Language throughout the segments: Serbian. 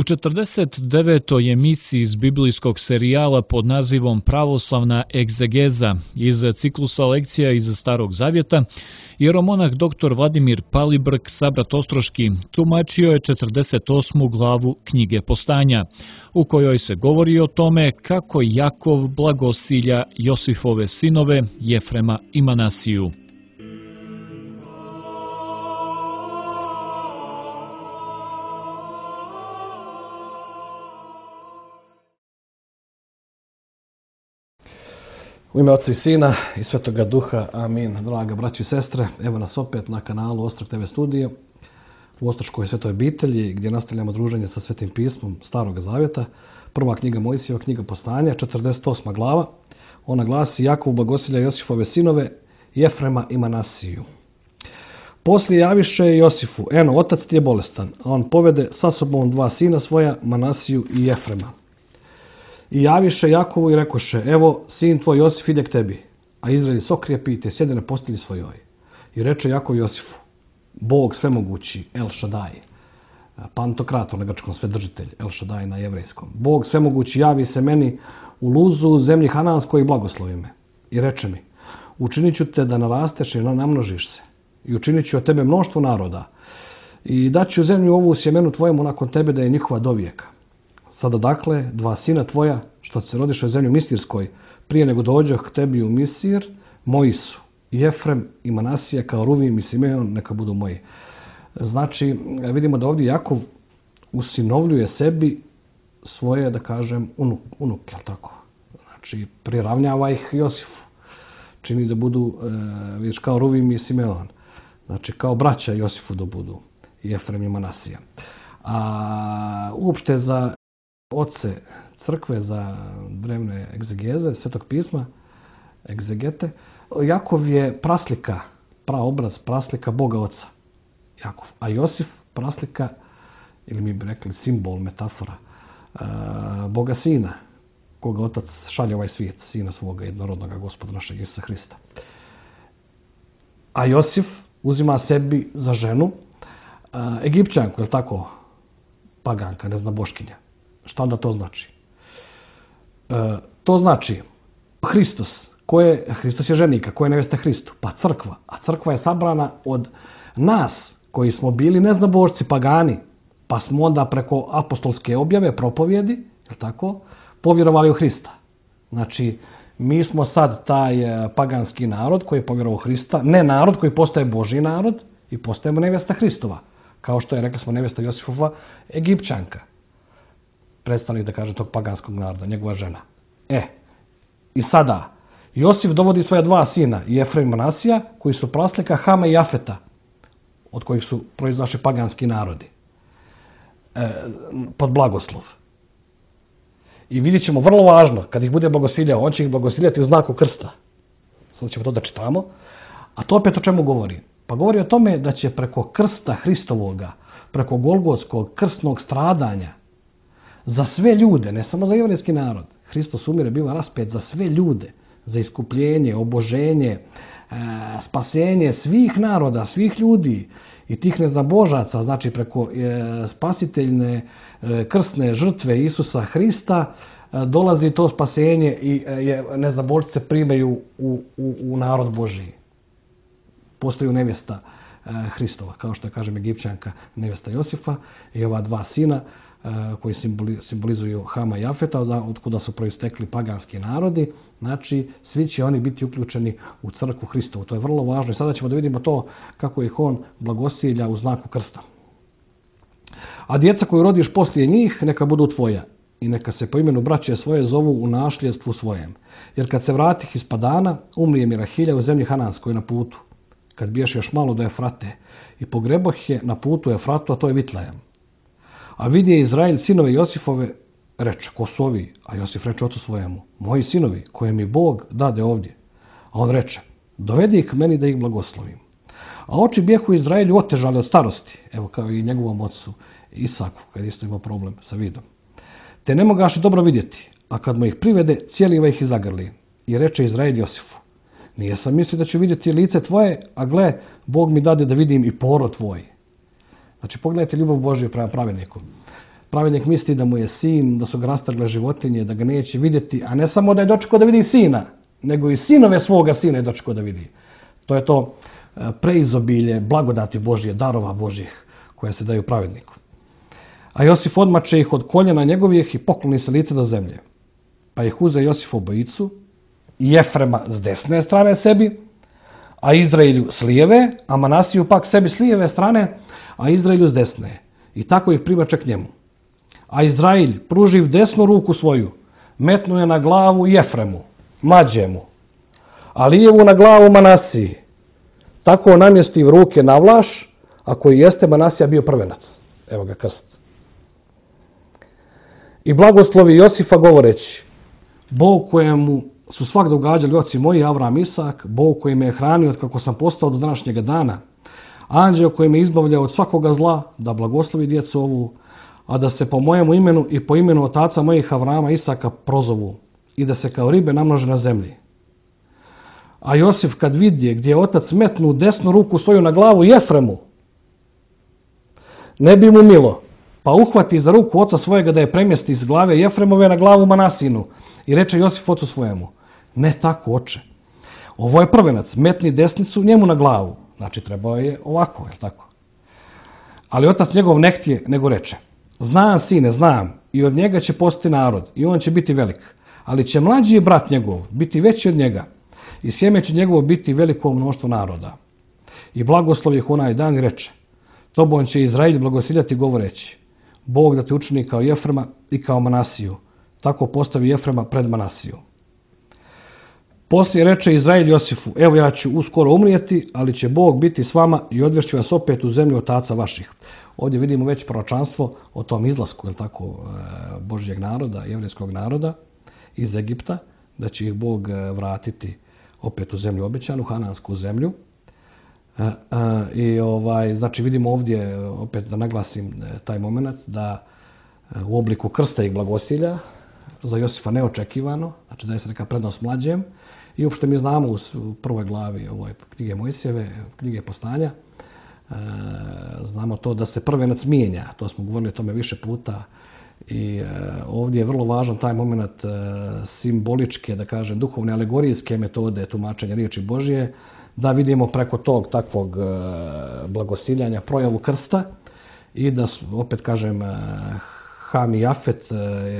49. emisiji iz biblijskog serijala pod nazivom Pravoslavna egzegeza iz ciklusa lekcija iz Starog Zavjeta, jeromonah dr. Vladimir Palibrk, sabrat Ostroški, tumačio je 48. glavu knjige Postanja, u kojoj se govori o tome kako Jakov blagosilja Josifove sinove Jefrema i Manasiju. U ime Otca i Sina i Svetoga Duha, amin. Draga braći i sestre, evo nas opet na kanalu Ostrog TV studije u Ostroškoj svetoj obitelji gdje nastavljamo druženje sa Svetim pismom Starog Zavjeta. Prva knjiga Mojsijeva, knjiga Postanja, 48. glava. Ona glasi: Jakov blagosilja Josifove sinove Jefrema i Manasiju. Poslije javiše Josifu: eno, otac ti je bolestan, a on povede sa sobom dva sina svoja, Manasiju i Jefrema. I javiše Jakovu i rekoše: evo, sin tvoj Josif ide k tebi, a Izrael sokrijepi te sjede na postelji svojoj. I reče Jakov Josifu: Bog svemogući, El Šadaj, pantokrator na grčkom, svedržitelj, El Šadaj na jevrejskom. Bog svemogući javi se meni u Luzu, zemlji Hananskoj, i blagoslovi me. I reče mi: učinit ću te da narasteš i namnožiš se. I učinit ću od tebe mnoštvo naroda. I daću zemlju ovu sjemenu tvojemu nakon tebe da je njihova do vijeka. Sada dakle, dva sina tvoja, što se rodiše u zemlju Misirskoj, prije nego dođoh k tebi u Misir, moji su. Jefrem i Manasija kao Ruvim i Simeon neka budu moji. Znači, vidimo da ovdje Jakov usinovljuje sebi svoje, da kažem, unuke, jel tako? Znači, priravnjava ih Josifu. Čini da budu, vidiš, kao Ruvim i Simeon. Znači, kao braća Josifu da budu Jefrem i Manasija. A uopšte za oce crkve, za drevne egzegeze, Svetog pisma, egzegete, Jakov je praslika, praobraz, praslika Boga Oca, Jakov. A Josif praslika, ili mi bi rekli simbol, metafora, Boga Sina, koga Otac šalje ovaj svijet, Sina svoga jednorodnog Gospoda našeg Isusa Hrista. A Josif uzima sebi za ženu Egipćanku, je li tako, paganka, ne zna boškinja. Šta onda to znači? To znači Hristos je ženika, koja je nevesta Hristu, pa crkva. A crkva je sabrana od nas koji smo bili neznabošci, pagani, pa smo onda preko apostolske objave, propovjedi, je li tako, povjerovali u Hrista. Znači, mi smo sad taj paganski narod koji je povjerovao u Hrista, ne narod koji postaje Božji narod i postajemo nevesta Hristova. Kao što je, rekli smo, nevesta Josifova Egipćanka. Predstavnik, da kažem, tog paganskog naroda, njegova žena. I sada, Josif dovodi svoja dva sina, Jefrem i Manasija, koji su praslika Hama i Jafeta, od kojih su proizašli paganski narodi, pod blagoslov. I vidjet ćemo, vrlo važno, kad ih bude blagosiljao, on će ih blagosiljati u znaku krsta. Sad ćemo to da čitamo. A to opet o čemu govori? Pa govori o tome da će preko krsta Hristovoga, preko Golgotskog krstnog stradanja, za sve ljude, ne samo za jevrejski narod, Hristos umire, biva raspet za sve ljude, za iskupljenje, oboženje, spasenje svih naroda, svih ljudi i tih neznabožaca, znači preko spasiteljne krstne žrtve Isusa Hrista, dolazi to spasenje i neznabožce primaju u narod Božiji. Postaju nevjesta Hristova, kao što je, kažem, Egipćanka nevjesta Josifa i ova dva sina koji simbolizuju Hama i Jafeta, od kuda su proistekli paganski narodi. Znači, svi će oni biti uključeni u crkvu Hristovu. To je vrlo važno i sada ćemo da vidimo to kako ih on blagosilja u znaku krsta. A djeca koju rodiš poslije njih, neka budu tvoja i neka se po imenu braće svoje zovu u našljedstvu svojem. Jer kad se vratih iz Padana, umrije mi Rahilja u zemlji Hananskoj na putu, kad biješ još malo do Efrate, i pogreboh je na putu Efratu, a to je Vitlejem. A vidje Izrael sinove Josifove, reče: ko su ovi? A Josif reče ocu svojemu: moji sinovi, koje mi Bog dade ovdje. A on reče: dovedi ih meni da ih blagoslovim. A oči bijehu Izraelju otežali od starosti, evo kao i njegovom ocu Isaku, kad isto imao problem sa vidom. Te ne mogaše dobro vidjeti, a kad mu ih privede, cijeliva ih i zagrli. I reče Izrael Josifu: nije sam mislio da ću vidjeti lice tvoje, a gle, Bog mi dade da vidim i porod tvoj. Znači, pogledajte ljubav Božju prema pravedniku. Pravednik misli da mu je sin, da su ga rastrgle životinje, da ga neće vidjeti, a ne samo da je dočekao da vidi sina, nego i sinove svoga sina je dočekao da vidi. To je to preizobilje blagodati Božje, darova Božjih koje se daju pravedniku. A Josif odmače ih od koljena njegovih i pokloni se lice do zemlje. Pa ih uze Josif obojicu i Jefrema s desne strane sebi, a Izraelju s lijeve, a Manasiju pak sebi s lijeve strane, a Izraelju s desne. I tako ih primače k njemu. A Izrael, pruživ desnu ruku svoju, metnu je na glavu Jefremu, mlađemu, a lijevu na glavu Manasiji. Tako namjesti ruke na Vlaš, a koji jeste Manasija bio prvenac. Evo ga krst. I blagoslovi Josifa govoreći, Bog kojemu su svak događali oci moji, Avram, Isak, Bog koji me je hranio od kako sam postao do današnjega dana, anđeo koji me izbavlja od svakoga zla, da blagoslovi djecu ovu, a da se po mojemu imenu i po imenu otaca mojih Avrama, Isaka prozovu i da se kao ribe namnože na zemlji. A Josif kad vidje gdje je otac metnu desnu ruku svoju na glavu Jefremu, ne bi mu milo, pa uhvati za ruku oca svojega da je premjesti iz glave Jefremove na glavu Manasinu i reče Josif ocu svojemu, ne tako oče, ovo je prvenac, metni desnicu njemu na glavu, znači trebao je ovako, je tako? Ali otac njegov ne htje, nego reče, znam sine, znam, i od njega će postati narod, i on će biti velik, ali će mlađi brat njegov biti veći od njega, i sjeme će njegovo biti veliko mnoštvo naroda. I blagoslov ih onaj dan i reče, tobom će Izrael blagosiljati govoreći, Bog da te učini kao Jefrema i kao Manasiju, tako postavi Jefrema pred Manasiju. Poslije reče Izrael Josifu, evo ja ću uskoro umrijeti, ali će Bog biti s vama i odvešću vas opet u zemlju otaca vaših. Ovdje vidimo već proročanstvo o tom izlasku, tako, Božjeg naroda, jevrijskog naroda iz Egipta, da će ih Bog vratiti opet u zemlju obećanu, hanansku zemlju. I znači vidimo ovdje, opet da naglasim taj moment, da u obliku krsta i blagosilja, za Josifa neočekivano, znači da je se neka prednost mlađem. I uopšte mi znamo u prvoj glavi knjige Mojsijeve, knjige Postanja, znamo to da se prvenac mijenja, to smo govorili o tome više puta. I ovdje je vrlo važan taj moment simboličke, da kažem, duhovne alegorijske metode tumačenja riječi Božje, da vidimo preko tog takvog blagosiljanja projavu krsta i da, opet kažem, Ham i Jafet,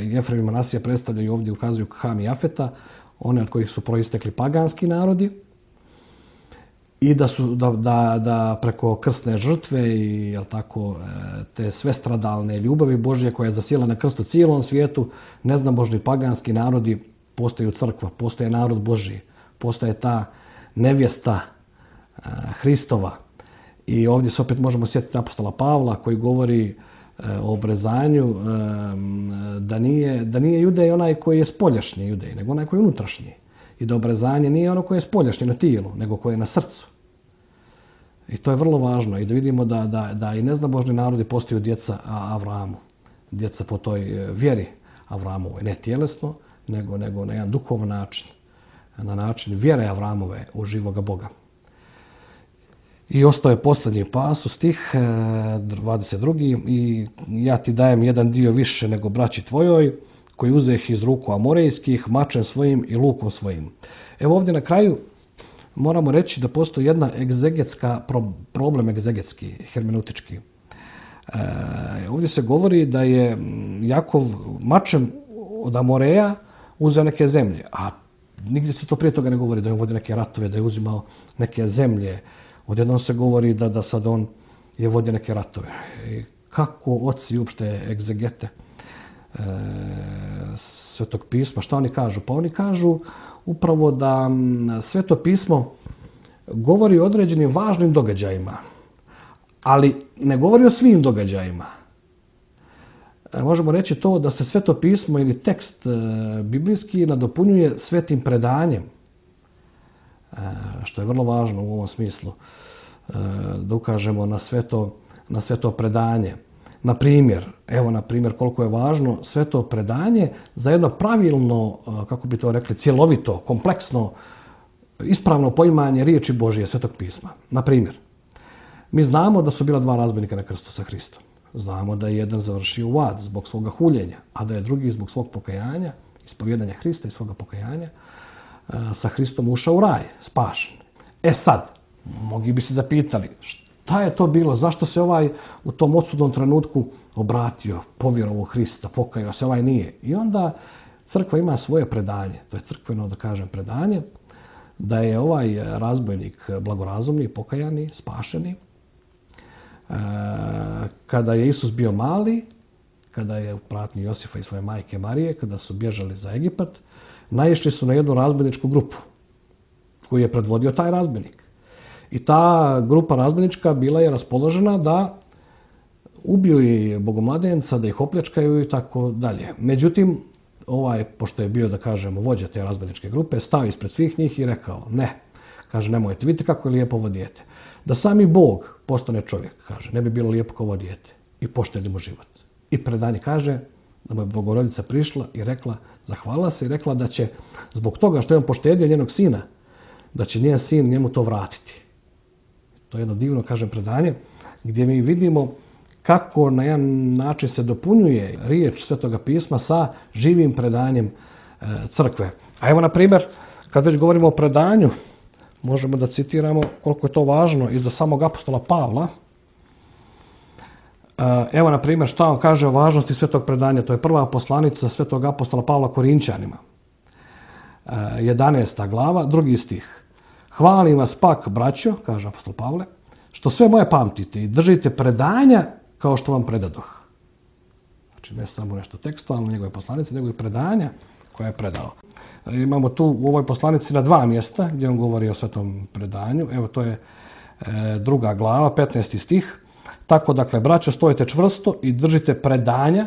Jefrem i Manasija predstavljaju ovdje, ukazuju Ham i Jafeta, one od kojih su proistekli paganski narodi, i da preko krstne žrtve i tako, te sve stradalne ljubavi Božje koja je zasjela na krstu cijelom svijetu, neznabožni paganski narodi postaju crkva, postaje narod Božji, postaje ta nevjesta Hristova. I ovdje se opet možemo sjetiti apostola Pavla koji govori o obrezanju, da nije judej onaj koji je spoljašnji judej, nego onaj koji je unutrašnji. I da obrezanje nije ono koje je spoljašnje na tijelu, nego koje je na srcu. I to je vrlo važno. I da vidimo da i neznabožni narodi postaju djeca Avramu. Djeca po toj vjeri Avramovoj. Ne tjelesno, nego na jedan duhovan način. Na način vjere Avramove u živoga Boga. I ostao je posljednji pasus, stih 22. I ja ti dajem jedan dio više nego braći tvojoj, koji uzeh iz ruku amorejskih, mačem svojim i lukom svojim. Evo ovdje na kraju moramo reći da postoji jedna problem egzegetski, hermeneutički. Ovdje se govori da je Jakov mačem od Amoreja uzeo neke zemlje, a nigdje se to prije toga ne govori, da je vodio neke ratove, da je uzimao neke zemlje. Odjednom se govori da sad on je vodio neke ratove. I kako oci uopšte egzegete Svetog pisma, šta oni kažu? Pa oni kažu upravo da Sveto pismo govori o određenim važnim događajima, ali ne govori o svim događajima. Možemo reći to da se Sveto pismo ili tekst biblijski nadopunjuje svetim predanjem, što je vrlo važno u ovom smislu, da ukažemo na sveto predanje. Na primjer koliko je važno sveto predanje za jedno pravilno, kako bi to rekli, cjelovito, kompleksno, ispravno poimanje riječi Božje, Svetog pisma. Na primjer, mi znamo da su bila dva razbojnika na krstu sa Hristom. Znamo da je jedan završio u ad zbog svoga huljenja, a da je drugi zbog svog pokajanja, ispovjedanja Hrista i svoga pokajanja, sa Hristom ušao u raj, spašen. Sad, mnogi bi se zapitali, šta je to bilo, zašto se ovaj u tom odsudnom trenutku obratio, povjerovao u Hrista, pokajao se, ovaj nije. I onda crkva ima svoje predanje, to je crkveno, da kažem, predanje, da je ovaj razbojnik blagorazumni, pokajani, spašeni. Kada je Isus bio mali, kada je u pratnji Josifa i svoje majke Marije, kada su bježali za Egipat, naišli su na jednu razbojničku grupu koju je predvodio taj razbojnik. I ta grupa razbojnička bila je raspoložena da ubiju i bogomladenca, da ih opljačkaju i tako dalje. Međutim, pošto je bio, da kažemo, vođa te razbojničke grupe, stao ispred svih njih i rekao, ne, kaže, nemojte, vidite kako je lijepo ovo dijete. Da sami Bog postane čovjek, kaže, ne bi bilo lijepo kao ovo dijete i poštedi mu život. I predanje kaže da mu je Bogorodica prišla i rekla, zahvalila se i rekla da će, zbog toga što je on poštedio njenog sina, da će njen sin njemu to vratiti. To je jedno divno, kažem, predanje, gdje mi vidimo kako na jedan način se dopunjuje riječ Svetoga pisma sa živim predanjem crkve. A evo, na primjer, kad već govorimo o predanju, možemo da citiramo koliko je to važno i za samog apostola Pavla. Evo, na primjer, šta on kaže o važnosti svetog predanja. To je prva poslanica svetog apostola Pavla Korinčanima. 11. glava, 2. stih. Hvalim vas pak, braćo, kaže apostol Pavle, što sve moje pamtite i držite predanja kao što vam predadoh. Znači, ne samo nešto tekstualno njegove poslanice, nego i predanja koje je predao. Imamo tu u ovoj poslanici na 2 mjesta gdje on govori o svetom predanju. Evo, to je 2. glava, 15. stih. Tako, dakle, braćo, stojite čvrsto i držite predanja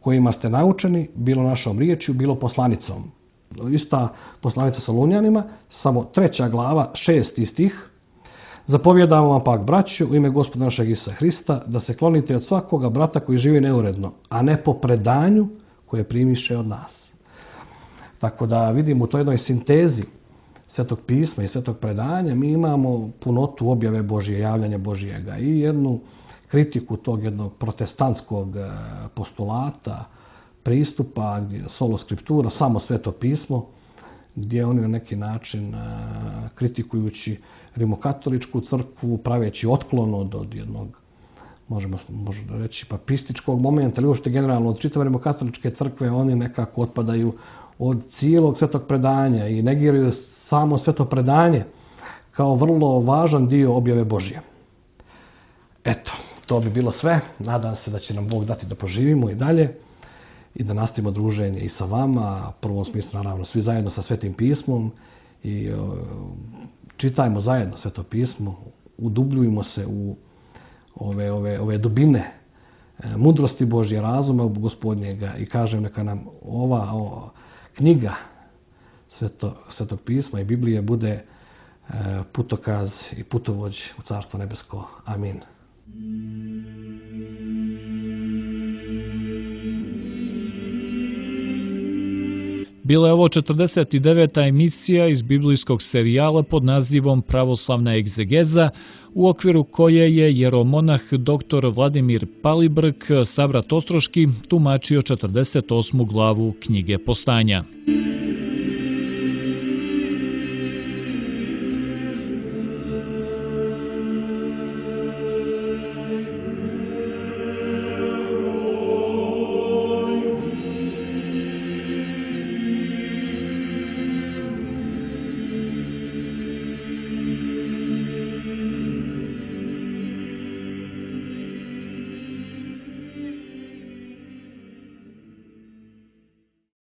kojima ste naučeni, bilo našom riječju, bilo poslanicom. Ista poslanica Solunjanima, samo 3. glava, 6. stih. Zapovjedamo vam pak, braćo, u ime Gospoda našeg Isusa Hrista, da se klonite od svakoga brata koji živi neuredno, a ne po predanju koje primiše od nas. Tako da vidimo u toj jednoj sintezi Svetog pisma i Svetog predanja mi imamo punotu objave Božje, javljanja Božjega i jednu kritiku tog jednog protestantskog postulata, pristupa, solo skriptura, samo Sveto pismo, gdje oni na neki način kritikujući rimokatoličku crkvu, praveći otklon od jednog, možemo reći, papističkog momenta, ili uopšte generalno od čitave rimokatoličke crkve, oni nekako otpadaju od cijelog svetog predanja i negiraju samo sveto predanje kao vrlo važan dio objave Božje. Eto, to bi bilo sve. Nadam se da će nam Bog dati da poživimo i dalje i da nastavimo druženje i sa vama, u prvom smislu naravno svi zajedno sa Svetim pismom i čitajmo zajedno Sveto pismo, udubljujmo se u ove dubine mudrosti Božje, razuma Gospodnjega i kažem neka nam ova knjiga Svetog pisma i Biblije bude putokaz i putovođ u Carstvo nebesko. Amin. Bila je ovo 49. emisija iz biblijskog serijala pod nazivom Pravoslavna egzegeza, u okviru koje je jeromonah dr. Vladimir Palibrk, sabrat Ostroški, tumačio 48. glavu knjige Postanja.